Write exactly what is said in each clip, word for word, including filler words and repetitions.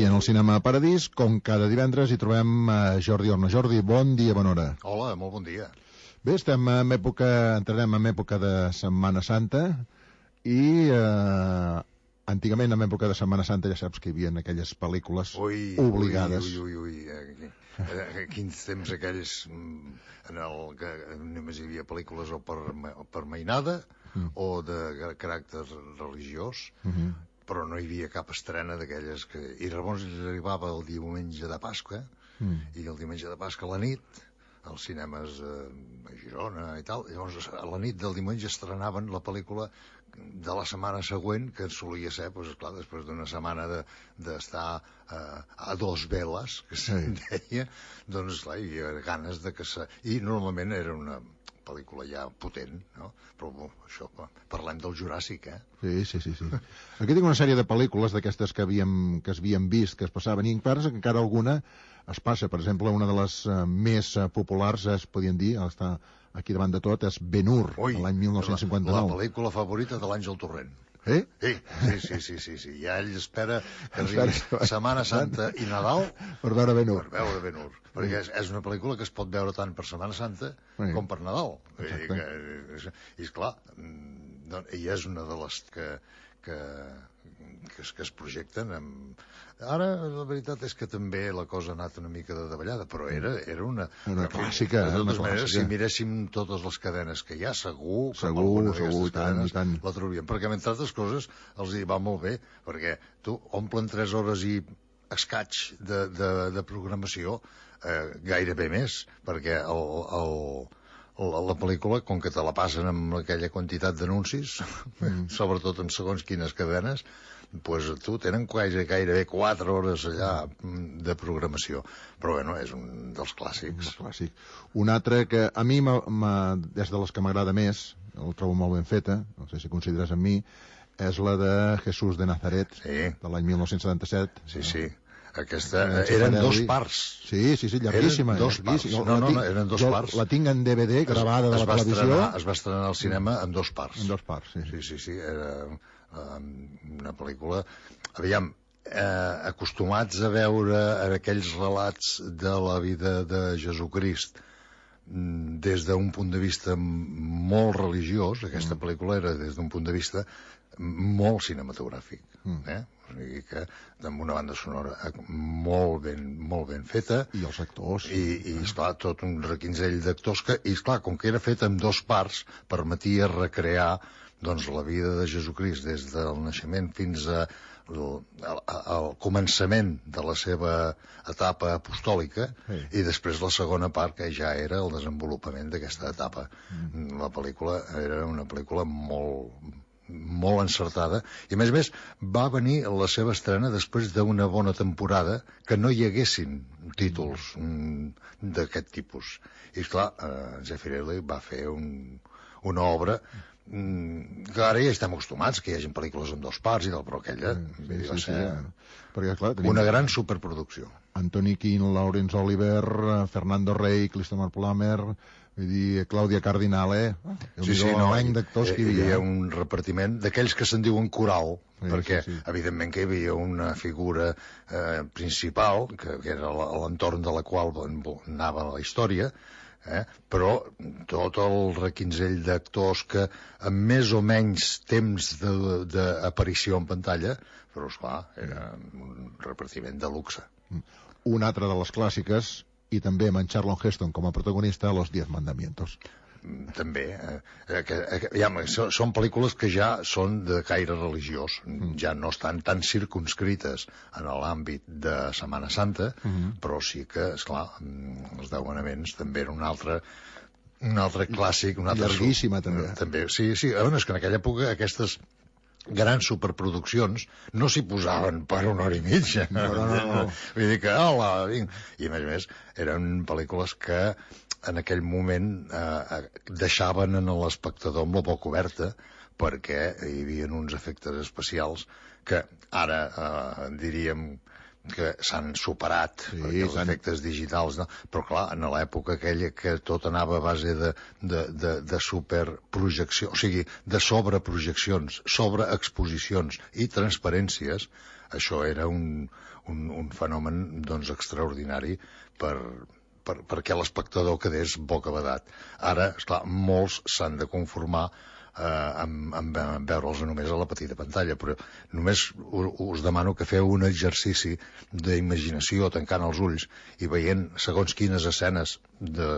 I en el Cinema Paradís, com cada divendres, hi trobem a Jordi Orna. Jordi, bon dia, bona hora. Hola, molt bon dia. Bé, estem en època, entrarem en època de Setmana Santa i eh, antigament en època de Setmana Santa ja saps que hi havia aquelles pel·lícules ui, obligades. Ui, ui, ui, ui. Eh, eh, quins temps aquells en el que només hi havia pel·lícules o per, per mainada mm. o de caràcter religiós, mm-hmm. però no hi havia cap estrena d'aquelles que... I llavors arribava el diumenge de Pasqua, mm. i el diumenge de Pasqua a la nit, als cinemes eh, a Girona i tal, llavors a la nit del diumenge estrenaven la pel·lícula de la setmana següent, que solia ser, doncs, clar, després d'una setmana d'estar de, eh, a dos veles, que se'n deia, doncs, clar, hi havia ganes de que se... I normalment era una pel·lícula ja potent, no? Però bo, això, parlem del Juràssic, eh? Sí, sí, sí, sí. Aquí tinc una sèrie de pel·lícules d'aquestes que havíem, que es havien vist, que es passaven, i encara, encara alguna es passa. Per exemple, una de les uh, més uh, populars, es podien dir, està aquí davant de tot, és Ben-Hur, de l'any mil nou-cents cinquanta-nou. La, la pel·lícula favorita de l'Àngel Torrent. Eh? Sí, sí, sí, sí, sí, sí. Ja ell espera que arribi Setmana Santa i Nadal per veure Ben-Hur. Per veure Ben-Hur. Perquè és, és una pel·lícula que es pot veure tant per Setmana Santa sí. com per Nadal. I, que, i esclar, i és una de les que, que, que, es, que es projecten amb... Ara, la veritat és que també la cosa ha anat una mica de davallada, però era, era una... Una clàssica, de totes una maneres, clàssica. Si miréssim totes les cadenes que hi ha, segur que segur, alguna segur, d'aquestes cadenes tant, la trobaríem. Perquè, entre altres coses, els hi va molt bé, perquè tu omplen tres hores i escaig de, de, de programació, eh, gairebé més, perquè el... el La, la pel·lícula, com que te la passen amb aquella quantitat d'anuncis, mm. sobretot en segons quines cadenes, pues tu tenen gairebé, gairebé quatre hores allà de programació. Però bueno, és un dels clàssics. Un clàssic. Un altre que a mi, m ha, m ha, des de les que m'agrada més, el trobo molt ben feta, no sé si consideres amb mi, és la de Jesús de Nazaret, sí. de l'any mil nou-cents setanta-set. Sí, sí. Aquesta, eh, eren dos parts. Sí, sí, sí, llarguíssima. Eren dos llarguíssima. parts. No, no, no, eren dos jo parts. La tinc en D V D, gravada es, de la televisió. Estrenar, es va estrenar al cinema en dos parts. En dos parts, sí. Sí, sí, sí, era um, una pel·lícula... Aviam, eh, acostumats a veure aquells relats de la vida de Jesucrist des d'un punt de vista molt religiós, aquesta mm. pel·lícula era des d'un punt de vista molt cinematogràfic, mm. eh? O sigui que amb una banda sonora molt ben, molt ben feta i els actors i, i esclar, tot un requinzell d'actors que, i esclar, com que era fet en dos parts permetia recrear doncs la vida de Jesucrist des del naixement fins a al, al començament de la seva etapa apostòlica sí. i després la segona part que ja era el desenvolupament d'aquesta etapa. Mm. La pel·lícula era una pel·lícula molt molt encertada i a més a més va venir la seva estrena després d'una bona temporada que no hi haguessin títols mm, d'aquest tipus i esclar, eh, Zeffirelli va fer un, una obra mm, que ara ja estem acostumats que hi hagi pel·lícules en dos parts i tal, però aquella sí, sí, va ser sí, perquè, clar, tenim una gran superproducció. Anthony Quinn, Laurence Olivier, Fernando Rey, Christopher Plummer, vull dir, Clàudia Cardinale, eh? Sí, sí, no, hi, d'actors que hi havia. Hi havia un repartiment d'aquells que se'n diuen coral, sí, perquè sí, sí. evidentment que hi havia una figura eh, principal, que, que era l'entorn de la qual anava la història, eh? Però tot el requinzell d'actors que amb més o menys temps d'aparició en pantalla, però esclar, era un repartiment de luxe. Una altra de les clàssiques, i també amb en Charlton Heston com a protagonista, Los Diez Mandamientos. També, eh, que, eh, ja, són pel·lícules que ja són de caire religiós, mm. ja no estan tan circunscrites en l'àmbit de Setmana Santa, mm. però sí que, esclar, els Deu Manaments també era un altre un altre clàssic, un altre llarguíssima també. també. Sí, sí, bueno, és que en aquella època aquestes grans superproduccions no s'hi posaven per una hora i mitja. No, no, no, no. Vull dir que, hola, vinc. I a més a més, eren pel·lícules que en aquell moment eh, deixaven en l'espectador amb la boca oberta perquè hi havia uns efectes especials que ara eh, diríem que s'han superat sí, perquè els efectes digitals, no? Però clar, en l'època aquella que tot anava a base de, de, de, de superprojecció, o sigui, de sobreprojeccions, sobreexposicions i transparències, això era un, un, un fenomen doncs, extraordinari per, per, perquè l'espectador quedés bocabadat. Ara, esclar, molts s'han de conformar eh, amb, amb, amb veure'ls només a la petita pantalla, però només us demano que feu un exercici d'imaginació tancant els ulls i veient segons quines escenes de,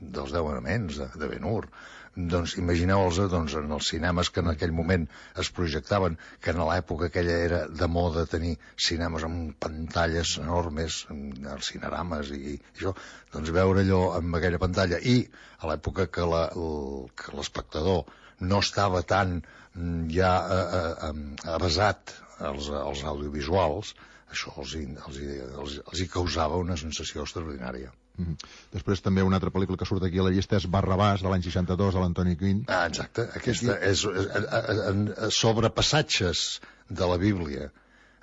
dels Deu Manaments, de, de Ben-Hur, doncs imagineu-los doncs, en els cinemes que en aquell moment es projectaven, que en l'època aquella era de moda tenir cinemes amb pantalles enormes, els cinerames i, i això, doncs veure allò amb aquella pantalla, i a l'època que la, l'espectador no estava tan ja eh, eh, avasat als, als audiovisuals, això els, els, els, els hi causava una sensació extraordinària. Mm-hmm. Després també una altra pel·lícula que surt aquí a la llista és Barrabàs, de l'any seixanta-dos, de l'Antoni Quinn. Ah, exacte. Aquesta és, és, és sobre passatges de la Bíblia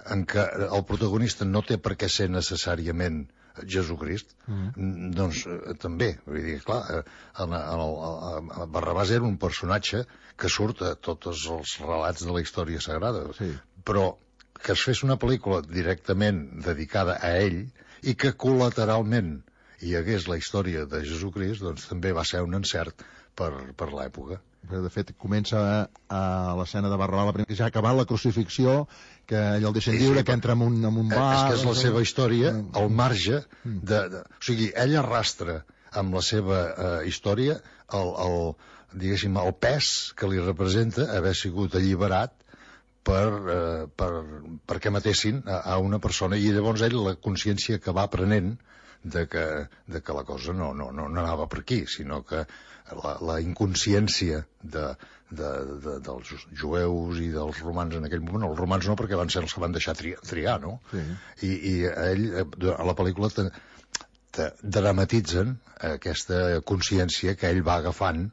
en què el protagonista no té per què ser necessàriament Jesucrist, mm-hmm. doncs eh, també, vull dir, clar, el, el, el, el Barrabàs era un personatge que surt a tots els relats de la història sagrada, sí. Però que es fes una pel·lícula directament dedicada a ell i que col·lateralment hi hagués la història de Jesucrist, doncs també va ser un encert per, per l'època. De fet, comença a, a l'escena de Barrabàs, la primera, que ja ha acabat la crucifixió, que ell el deixen lliure, sí, sí, que entra en un, en un bar... És que és la seva història, al marge de... de o sigui, ell arrastra amb la seva eh, història el, el, diguéssim, el pes que li representa haver sigut alliberat per, eh, per, perquè matessin a, a una persona, i llavors ell la consciència que va prenent de que, de que la cosa no, no, no anava per aquí, sinó que la, la inconsciència de, de, de, dels jueus i dels romans en aquell moment, els romans no, perquè van ser els que van deixar triar, triar no? Sí. I, i ell, a la pel·lícula te, te dramatitzen aquesta consciència que ell va agafant,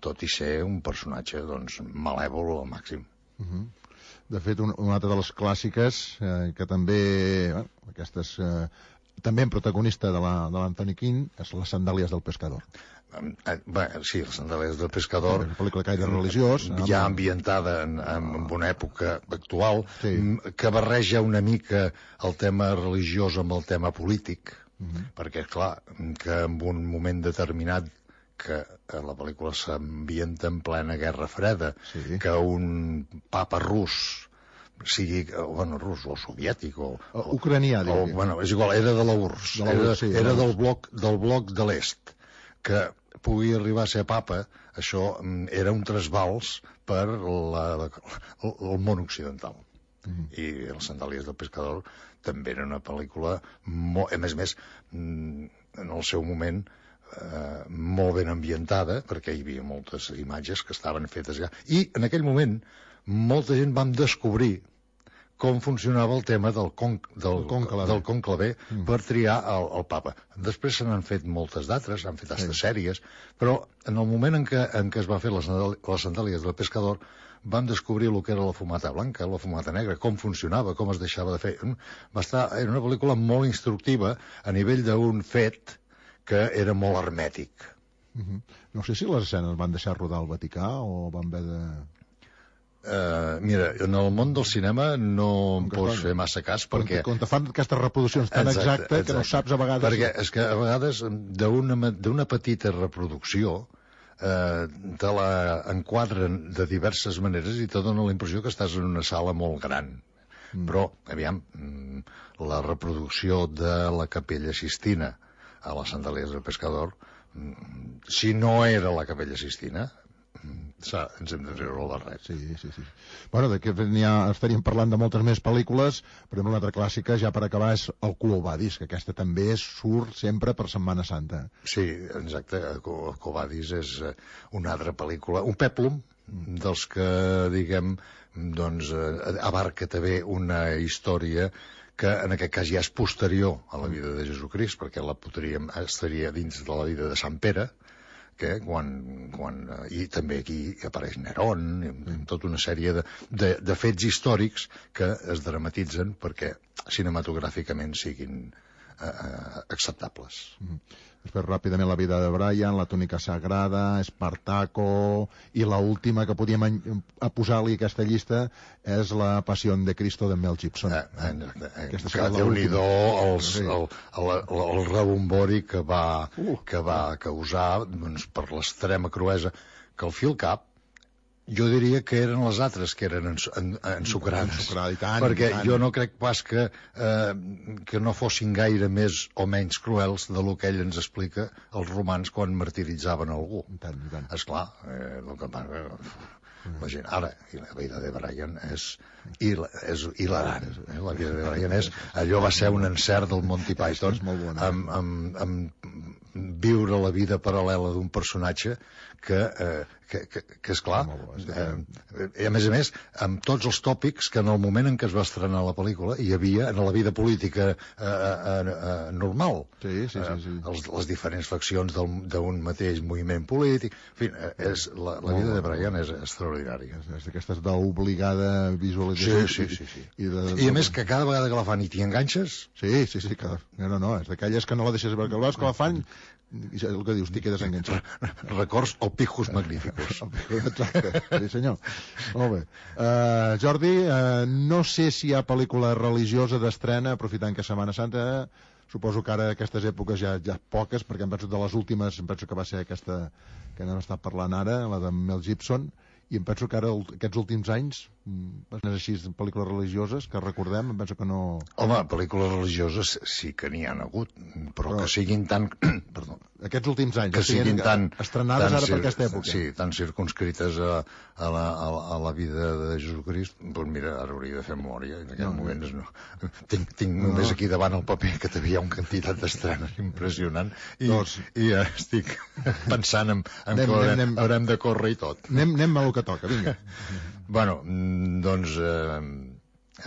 tot i ser un personatge doncs, malèvol al màxim. Uh-huh. De fet, un, una altra de les clàssiques, eh, que també, bueno, aquestes... Eh, també en protagonista de l'Antoni Quinn, és Les sandàlies del pescador. Eh, bé, sí, Les sandàlies del pescador. Una pel·lícula caire religiós. Ja amb... ambientada en, en una època actual, sí. Que barreja una mica el tema religiós amb el tema polític, uh-huh. perquè, clar, que en un moment determinat que la pel·lícula s'ambienta en plena Guerra Freda, sí. Que un papa rus sigui, bueno, rus o soviètic o... o ucranià, o, bueno, és igual, era de la U R S S, de la U R S S, era, era del bloc, del bloc de l'est, que pugui arribar a ser papa, això era un trasbals per la, la, el món occidental. Mm-hmm. I Les sandàlies del pescador també era una pel·lícula, molt, a més a més, en el seu moment, eh, molt ben ambientada, perquè hi havia moltes imatges que estaven fetes allà. I en aquell moment molta gent vam descobrir com funcionava el tema del, con, del, del conclavé mm. per triar el, el papa. Després se n'han fet moltes d'altres, s'han fet altres sí. sèries, però en el moment en què, en què es va fer les, les sandàlies del pescador vam descobrir el que era la fumata blanca, la fumata negra, com funcionava, com es deixava de fer. Va estar, era una pel·lícula molt instructiva a nivell d'un fet que era molt hermètic. Mm-hmm. No sé si les escenes van deixar rodar al Vaticà o van haver de... Uh, mira, en el món del cinema no em pots fer massa cas perquè... Quan te fan aquestes reproduccions tan exacte, exacte, exacte que no saps a vegades... Perquè és que a vegades d'una petita reproducció eh, te la enquadren de diverses maneres i te dona la impressió que estàs en una sala molt gran. Mm. Però, aviam, la reproducció de la Capella Sistina a les sandàlies del pescador, si no era la Capella Sistina... Sa, ens hem de treure el barret. Sí, sí, sí. Bueno, de que ja estaríem parlant de moltes més pel·lícules, però una altra clàssica, ja per acabar, és El Quo Vadis, que aquesta també surt sempre per Setmana Santa. Sí, exacte. El Quo Vadis és una altra pel·lícula, un pèplum dels que, diguem, doncs, abarca també una història que en aquest cas ja és posterior a la vida de Jesucrist, perquè la podríem, estaria dins de la vida de Sant Pere, que quan, quan, i també aquí apareix Nerón, amb tota una sèrie de, de, de fets històrics que es dramatitzen perquè cinematogràficament siguin eh, acceptables. Mm. Després, ràpidament, La vida de Brian, La túnica sagrada, Espartaco, i la última que podíem a posar-li a aquesta llista és La passió de Cristo de Mel Gibson. Eh, eh, eh, Aquesta que Déu-n'hi-do el, el, el, el rebombori que va, uh, que va causar, doncs, per l'extrema cruesa, que al fi al cap jo diria que eren les altres que eren ensucrades, perquè tant. Jo no crec pas que, eh, que no fossin gaire més o menys cruels de lo que ell ens explica els romans quan martiritzaven algú. I tant, i tant. Esclar, eh, el que passa, la gent, ara, i la vida de Brian és, il, és hilarant, eh? La vida de Brian és, allò va ser un encert del Monty Python, amb, amb, amb viure la vida paral·lela d'un personatge que, eh, que, que, que és clar, eh, i a més a més, amb tots els tòpics que en el moment en què es va estrenar la pel·lícula hi havia en la vida política eh, eh, eh, normal. Sí, sí, sí, sí. Eh, els, les diferents faccions d'un mateix moviment polític. En fi, és, la, la vida de Brian és extraordinària. És d'aquestes d'obligada visualització. Sí, sí, sí. sí. I, de, I a més que cada vegada que la fan i t'hi enganxes... Sí, sí, sí. Cada... No, no, no, és d'aquelles que no la deixes perquè el veus que la fan i el que dius, t'hi quedes enganxat. Records o pijos magníficos. Exacte, sí senyor. Molt bé. Uh, Jordi, uh, no sé si hi ha pel·lícula religiosa d'estrena, aprofitant que és Setmana Santa, suposo que ara aquestes èpoques ja, ja poques, perquè em penso de les últimes, em penso que va ser aquesta que n'hem estat parlant ara, la de Mel Gibson, i em penso que ara aquests últims anys és així, pel·lícules religioses que recordem, em penso que no... Home, pel·lícules religioses sí que n'hi han hagut, però, però que siguin tan... Perdó, aquests últims anys que siguin tan... estrenades tan ara per aquesta època. Sí, tan circunscrites a, a, la, a, la, a la vida de Jesucrist, doncs mira, ara hauria de fer memòria, en aquests no, moments no. Tinc, tinc no, només aquí davant el paper que t'havia una quantitat d'estrenes impressionant i, doncs, i ja estic pensant en, en anem, que haurem, anem, haurem de córrer i tot. Anem, anem a el que toca, vinga. Bueno, doncs eh,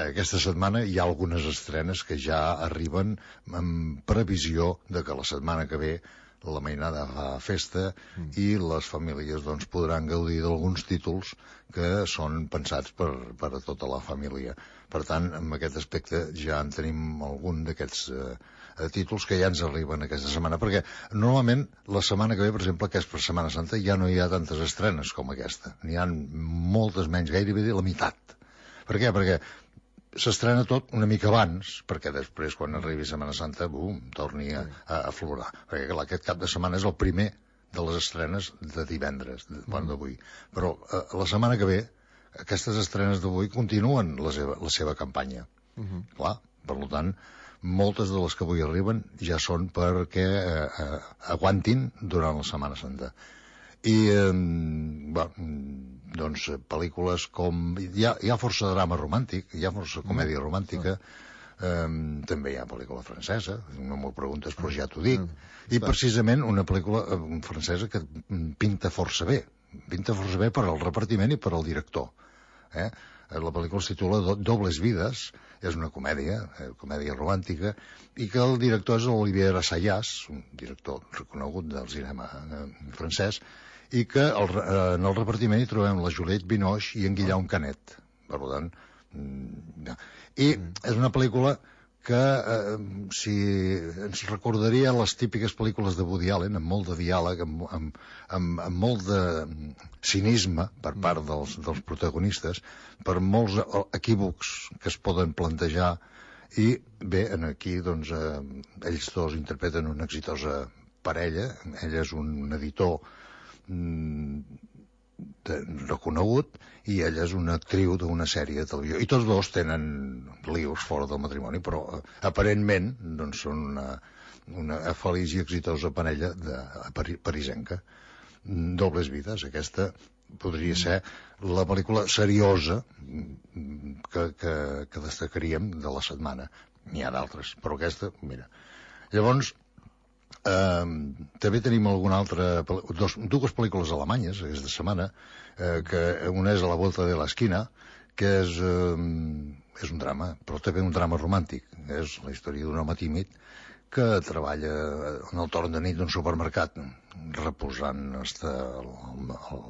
aquesta setmana hi ha algunes estrenes que ja arriben amb previsió de que la setmana que ve la mainada fa festa mm. i les famílies doncs, podran gaudir d'alguns títols que són pensats per, per a tota la família. Per tant, en aquest aspecte ja en tenim algun d'aquests eh, títols que ja ens arriben aquesta setmana, perquè normalment la setmana que ve, per exemple, que és per Setmana Santa, ja no hi ha tantes estrenes com aquesta. N'hi ha moltes menys, gairebé la meitat. Per què? Perquè s'estrena tot una mica abans, perquè després, quan arribi Setmana Santa, bum, torni a, a, a florar. Perquè clar, aquest cap de setmana és el primer de les estrenes de divendres, de, bueno, d'avui. Però eh, la setmana que ve, aquestes estrenes d'avui continuen la seva, la seva campanya. Uh -huh. Clar, per tant, moltes de les que avui arriben ja són perquè eh, eh, aguantin durant la Setmana Santa. I, eh, bueno, doncs, pel·lícules com... Hi ha, hi ha força drama romàntic, hi ha força comèdia romàntica, eh, també hi ha pel·lícula francesa, no m'ho preguntes, però ja t'ho dic, i precisament una pel·lícula francesa que pinta força bé, pinta força bé per al repartiment i per al director. Eh? La pel·lícula es titula Dobles vides, és una comèdia, eh, comèdia romàntica, i que el director és Olivier Assayas, un director reconegut del cinema eh, francès, i que el, eh, en el repartiment hi trobem la Juliette Binoche i en Guillaume Canet. Per tant, mm, i és una pel·lícula que eh, si ens recordaria les típiques pel·lícules de Woody Allen, amb molt de diàleg, amb, amb, amb, amb molt de cinisme per part dels, dels protagonistes, per molts equívocs que es poden plantejar, i bé, aquí doncs, eh, ells dos interpreten una exitosa parella. Ell és un editor mm, de, reconegut i ella és una actriu d'una sèrie de televisió, i tots dos tenen lius fora del matrimoni, però eh, aparentment doncs, són una, una feliç i exitosa parella de, pari, parisenca. Dobles vides, aquesta podria ser la pel·lícula seriosa que, que, que destacaríem de la setmana. N'hi ha d'altres, però aquesta, mira. Llavors, eh, també tenim alguna altra, dos, dues pel·lícules alemanyes aquesta setmana, eh, que una és A la volta de l'esquina, que és, eh, és un drama, però també un drama romàntic. És la història d'un home tímid que treballa en el torn de nit d'un supermercat reposant hasta el, el,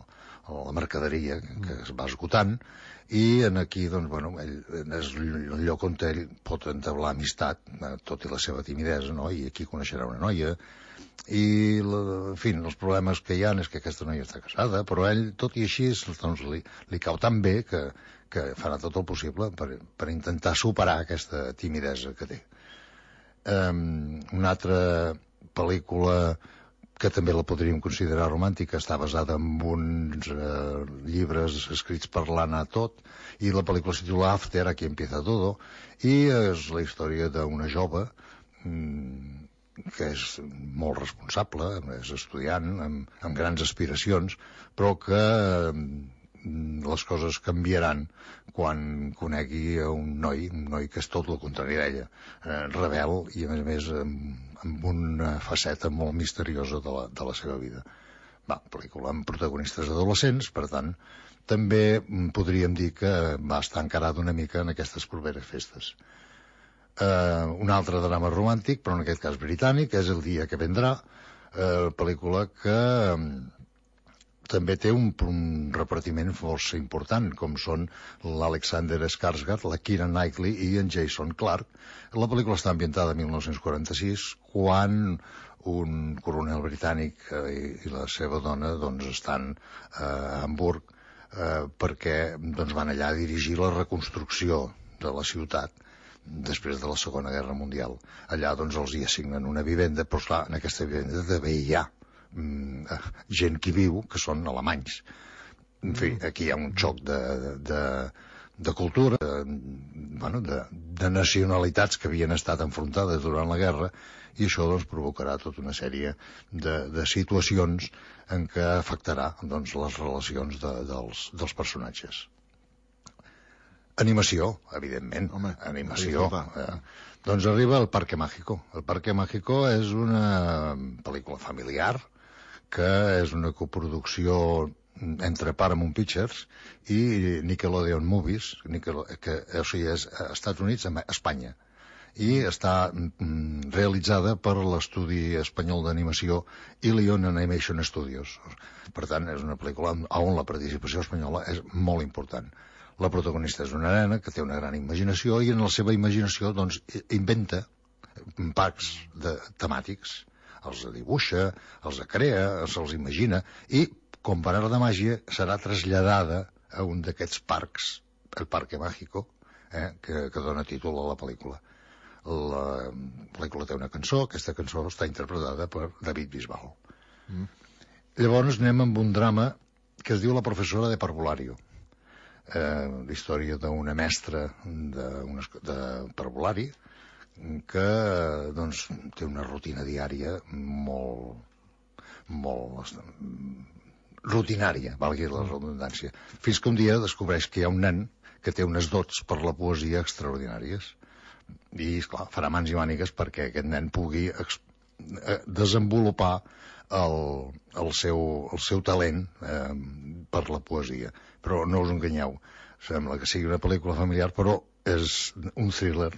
la mercaderia que es va esgotant, i en aquí, doncs, bueno, ell, és el lloc on ell pot entablar amistat, tot i la seva timidesa, no? I aquí coneixerà una noia, i, la, en fi, els problemes que hi ha és que aquesta noia està casada, però ell, tot i així, doncs, li, li cau tan bé que, que farà tot el possible per, per intentar superar aquesta timidesa que té. Um, una altra pel·lícula que també la podríem considerar romàntica, està basada en uns eh, llibres escrits per l'Anna Todd, i la pel·lícula es titula After, aquí empieza todo, i és la història d'una jove mmm, que és molt responsable, és estudiant, amb, amb grans aspiracions, però que eh, les coses canviaran quan conegui un noi, un noi que és tot el contrari d'ella, eh, rebel i, a més a més, amb, amb una faceta molt misteriosa de la, de la seva vida. Va, pel·lícula amb protagonistes adolescents, per tant, també podríem dir que va estar encarada una mica en aquestes properes festes. Uh, un altre drama romàntic, però en aquest cas britànic, és El dia que vendrà, uh, pel·lícula que um, també té un, un repartiment força important, com són l'Alexander Skarsgård, la Keira Knightley i en Jason Clarke. La pel·lícula està ambientada en mil nou-cents quaranta-sis, quan un coronel britànic eh, i, i la seva dona doncs, estan eh, a Hamburg eh, perquè doncs, van allà a dirigir la reconstrucció de la ciutat després de la Segona Guerra Mundial. Allà doncs, els hi assignen una vivenda, però clar, en aquesta vivenda també hi ha mm, gent que viu, que són alemanys. En fi, aquí hi ha un xoc de, de, de cultura, de, bueno, de, de nacionalitats que havien estat enfrontades durant la guerra, i això doncs, provocarà tota una sèrie de, de situacions en què afectarà doncs, les relacions de, dels, dels personatges. Animació, evidentment. Home, animació. Eh, doncs arriba El Parque Mágico. El Parque Mágico és una pel·lícula familiar que és una coproducció entre Paramount Pictures i Nickelodeon Movies, Nickel, que o sigui, és als Estats Units, a Espanya, i està mm, realitzada per l'estudi espanyol d'animació Ilion Animation Studios. Per tant, és una pel·lícula on la participació espanyola és molt important. La protagonista és una nena que té una gran imaginació i en la seva imaginació doncs, inventa parcs de, temàtics. Els dibuixa, els crea, se'ls imagina i, com per art de màgia, serà traslladada a un d'aquests parcs, el Parque Mágico, eh, que, que dona títol a la pel·lícula. La pel·lícula té una cançó, aquesta cançó està interpretada per David Bisbal. Mm. Llavors anem amb un drama que es diu La professora de parvulario. Eh, la història d'una mestra de, una, de parvulari que doncs, té una rutina diària molt, molt rutinària, valgui la redundància, fins que un dia descobreix que hi ha un nen que té unes dots per la poesia extraordinàries i, esclar, farà mans i mànigues perquè aquest nen pugui desenvolupar el, el, seu, el seu talent eh, per la poesia. Però no us enganyeu, sembla que sigui una pel·lícula familiar, però és un thriller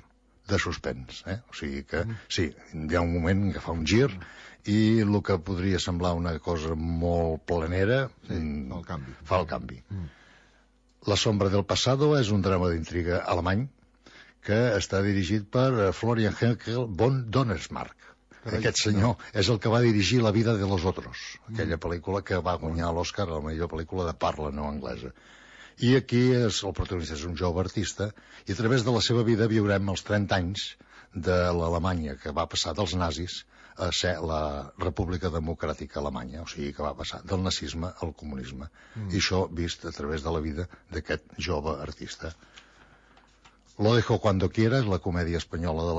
de suspens, eh? O sigui que, sí, hi ha un moment que fa un gir i el que podria semblar una cosa molt planera sí, fa el canvi. Fa el canvi. Mm. La sombra del pasado és un drama d'intriga alemany que està dirigit per Florian Henkel von Donnersmarck. Carai, aquest senyor no. És el que va dirigir La vida de los otros, aquella pel·lícula que va guanyar l'Oscar a la millor pel·lícula de parla no anglesa. I aquí és, el protagonista és un jove artista i a través de la seva vida viurem els trenta anys de l'Alemanya que va passar dels nazis a ser la República Democràtica Alemanya, o sigui que va passar del nazisme al comunisme. Mm. I això vist a través de la vida d'aquest jove artista. Lo dejo cuando quiera és la comèdia espanyola de la